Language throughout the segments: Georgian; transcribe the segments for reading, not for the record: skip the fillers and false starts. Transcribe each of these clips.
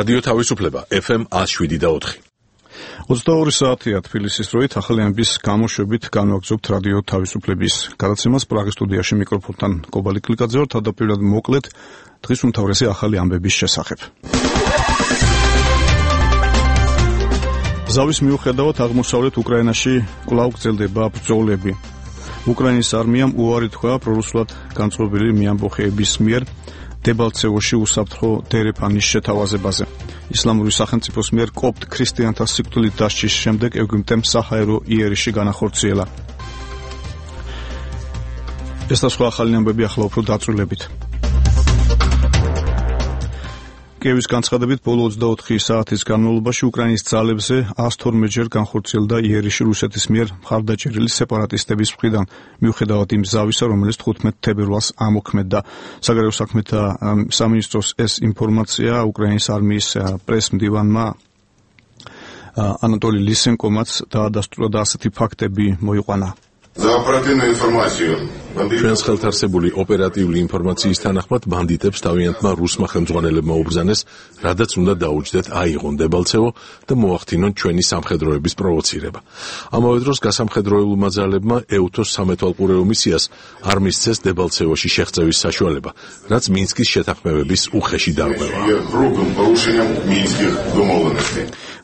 რადიო თავისუფლება FM 107.4. 22 საათია თბილისის დროით ახალი ამბის გამოშვებით განვაგრძობთ რადიო თავისუფლების გადაცემას პრაღის სტუდიაში მიკროფონთან კობალი კლიკაძე ვარ. თავდაპირველად მოკლედ დღის უმთავრესი ახალი ამბების შესახებ. ზავის მიუხედავად აღმოსავლეთ უკრაინაში კვლავ გრძელდება ბრძოლები. უკრაინის არმიამ უარი თქვა პრორუსულად განწყობილი მეამბოხეების მიერ დებალცევოში უსაფრთხო დერეფანის შეთავაზებაზე. ისლამური სახელმწიფოს მიერ კოპტ ქრისტიანთა სიკვდილით დასჯის შემდეგ ეგვიპტემ საჰაერო იერიში განახორციელა. ეს და სხვა ახალი ამბები ახლა უფრო დაწვრილებით. კიევის განცხადებით ბოლო 24 საათის განმავლობაში უკრაინის ძალებზე 112-ჯერ განხორციელდა იერიში რუსეთის მიერ მხარდაჭერილი სეპარატისტების მხრიდან, მიუხედავად იმ ზავისა, რომელიც 15 თებერვალს ამოქმედდა. საგარეო საქმეთა სამინისტროს ეს ინფორმაცია უკრაინის არმიის პრეს-მდივანმა ანატოლი ლისენკომაც დაადასტურა და ასეთი ფაქტები მოიყვანა. ჩვენს ხელთარსებული ოპერატიული ინფორმაციის თანახმად ბანდიტებს თავიანთმა რუსმა ხელმძღვანელებმა უბრძანეს, რადაც უნდა დაუჯდეთ აიღონ დებალცევო და მოახდინონ ჩვენი სამხედროების პროვოცირება. ამავე დროს გასამხედროებულმა ძალებმა ეუთოს სამეთვალყურეო მისიას არ მისცეს დებალცევოში შეღწევის საშუალება, რაც მინსკის შეთანხმებების უხეში დარღვევა.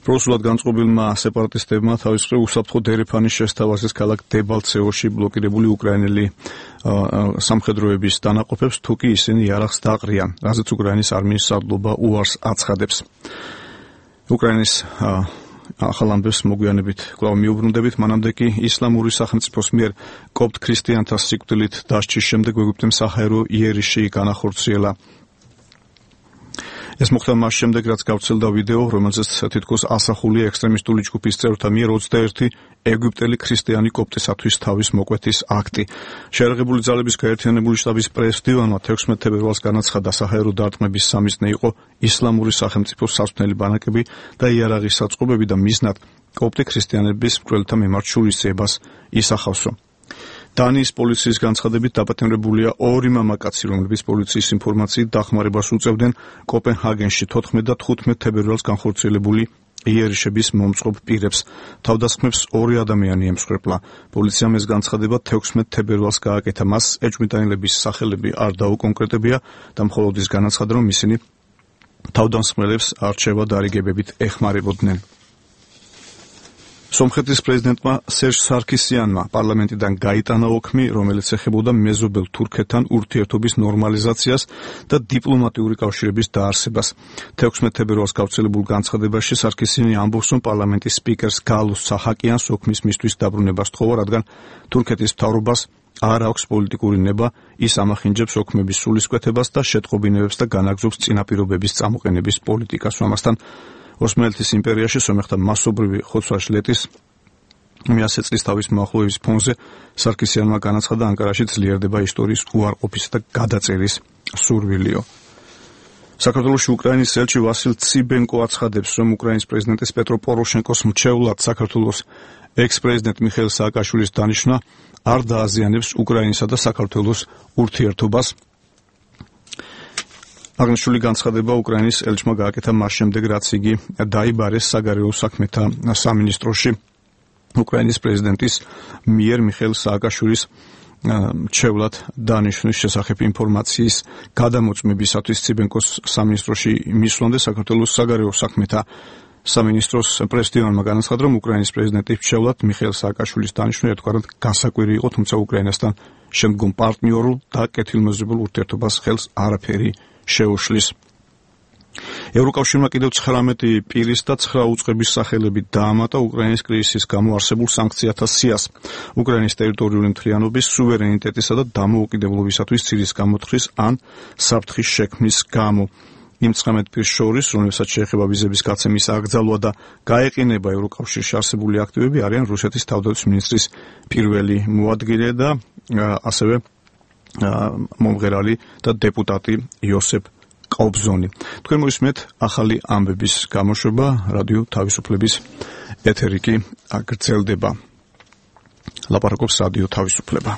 პრორუსულად განწყობილმა სეპარატისტებმა თავის მხრივ უსაფრთხო დერეფანის შესთავაზეს ქალაქ დებალცევოში ბლოკირებული უკრაინელი სამხედროების დანაყოფებს, თუ კი ისინი იარაღს დაყრიან, რაზეც უკრაინის არმიის სარდლობა უარს აცხადებს. უკრაინის ახალ ამბებს მოგვიანებით კვლავ მიუბრუნდებით, მანამდე კი ისლამური სახელმწიფოს მიერ კოპტ ქრისტიანთა სიკვდილით დასჯის შემდეგ ეგვიპტემ საჰაერო იერიში განახორციელა. ეს მოხდა მას შემდეგ, რაც გავრცელდა ვიდეო, რომელზეც თითქოს ასახულია ექსტრემისტული ჯგუფის წევრთა მიერ 21 ეგვიპტელი ქრისტიანი კოპტისათვის თავის მოკვეთის აქტი. შეიარაღებული ძალების გაერთიანებული შტაბის პრეს-მდივანმა 16 თებერვალს განაცხადა, საჰაერო დარტყმების სამიზნე იყო ისლამური სახელმწიფოს სარწმუნოები ბანაკები და იარაღის საწყობები და მიზნად კოპტი ქრისტიანების მკვლელთა მიმართ შურისძიებას ისახავსო. დანიის პოლიციის განცხადებით დაპატიმრებულია 2 მამაკაცი, რომლებიც პოლიციის ინფორმაციით დახმარებას უწევდნენ კოპენჰაგენში 14 და 15 თებერვალს განხორციელებული იერიშების მომწყობ პირებს. თავდასხმებს 2 ადამიანი ემსხვერპლა. პოლიციამ ეს განცხადება 16 თებერვალს გააკეთა. მას ეჭვმიტანილების სახელები არ დაუკონკრეტებია და მხოლოდ ის განაცხადა, რომ ისინი თავდამსხმელებს არჩევა დარიგებებით ეხმარებოდნენ. სომხეთის პრეზიდენტმა სერჟ სარქისიანმა პარლამენტიდან გაიტანა ოქმი, რომელიც ეხებოდა მეზობელ თურქეთთან ურთიერთობის ნორმალიზაციას და დიპლომატიური კავშირების დაარსებას. 16 თებერვალს გავრცელებულ განცხადებაში სარქისიანი ამბობს, რომ პარლამენტის სპიკერს გალუს საჰაკიანს ოქმის მისთვის დაბრუნება სთხოვა, რადგან თურქეთის მთავრობას არ აქვს პოლიტიკური ნება, ის ამახინჯებს ოქმების სულისკვეთებას და შეტყობინებებს და განაგრძობს წინაპირობების წამოყენების პოლიტიკას. ამასთან ოსმალეთის იმპერიაში სომეხთა მასობრივი ხოცვა-შლეტის 100 წლის თავის მოახლოების ფონზე სარქისიანმა განაცხადა, ანკარაში ძლიერდება ისტორიის უარყოფისა და გადაწერის სურვილიო. საქართველოში უკრაინის ელჩი ვასილ ციბენკო აცხადებს, რომ უკრაინის პრეზიდენტის პეტრო პოროშენკოს მრჩევლად საქართველოს ექს-პრეზიდენტ მიხეილ სააკაშვილის დანიშვნა არ დააზიანებს უკრაინისა და საქართველოს ურთიერთობას. აღნიშნული განცხადება უკრაინის ელჩმა გააკეთა მას შემდეგ, რაც იგი დაიბარეს საგარეო საქმეთა სამინისტროში უკრაინის პრეზიდენტის მიერ მიხეილ სააკაშვილის მრჩევლად დანიშვნის შესახებ ინფორმაციის გადამოწმებისათვის ციბენკოს სამინისტროში მისვლამდე საქართველოს საგარეო საქმეთა სამინისტროს პრეს-მდივანმა განაცხადა, რომ უკრაინის პრეზიდენტის მრჩევლად მიხეილ სააკაშვილის დანიშვნა ერთგვარად განსაკვირი იყო, თუმცა უკრაინასთან შემდგომ პარტნიორულ და კეთილმეზობელ ურთიერთობას ხელს არაფერი შეუშლის. ევროკავშირმა კიდევ 19 პირის და 9 უწყების სახელებით დაამატა უკრაინის კრიზისის გამო არსებულ სანქციათა სიას. უკრაინის ტერიტორიული მთლიანობის, სუვერენიტეტისა და დამოუკიდებლობისათვის ცირის გამოთხრის ან საფრთხის შექმნის გამო. იმ 19 პირს შორის, რომელსაც შეეხება ვიზების გაცემის აკრძალვა და გაეყინება ევროკავშირში არსებული აქტივები, არიან რუსეთის თავდაცვის მინისტრის პირველი მოადგილე და ასევე მომღერალი და დეპუტატი იოსებ ყობზონი. თქვენ მოისმენთ ახალი ამბების გამოშვება, რადიო თავისუფლების ეთერი კი გრძელდება. ლაპარაკობს რადიო თავისუფლება.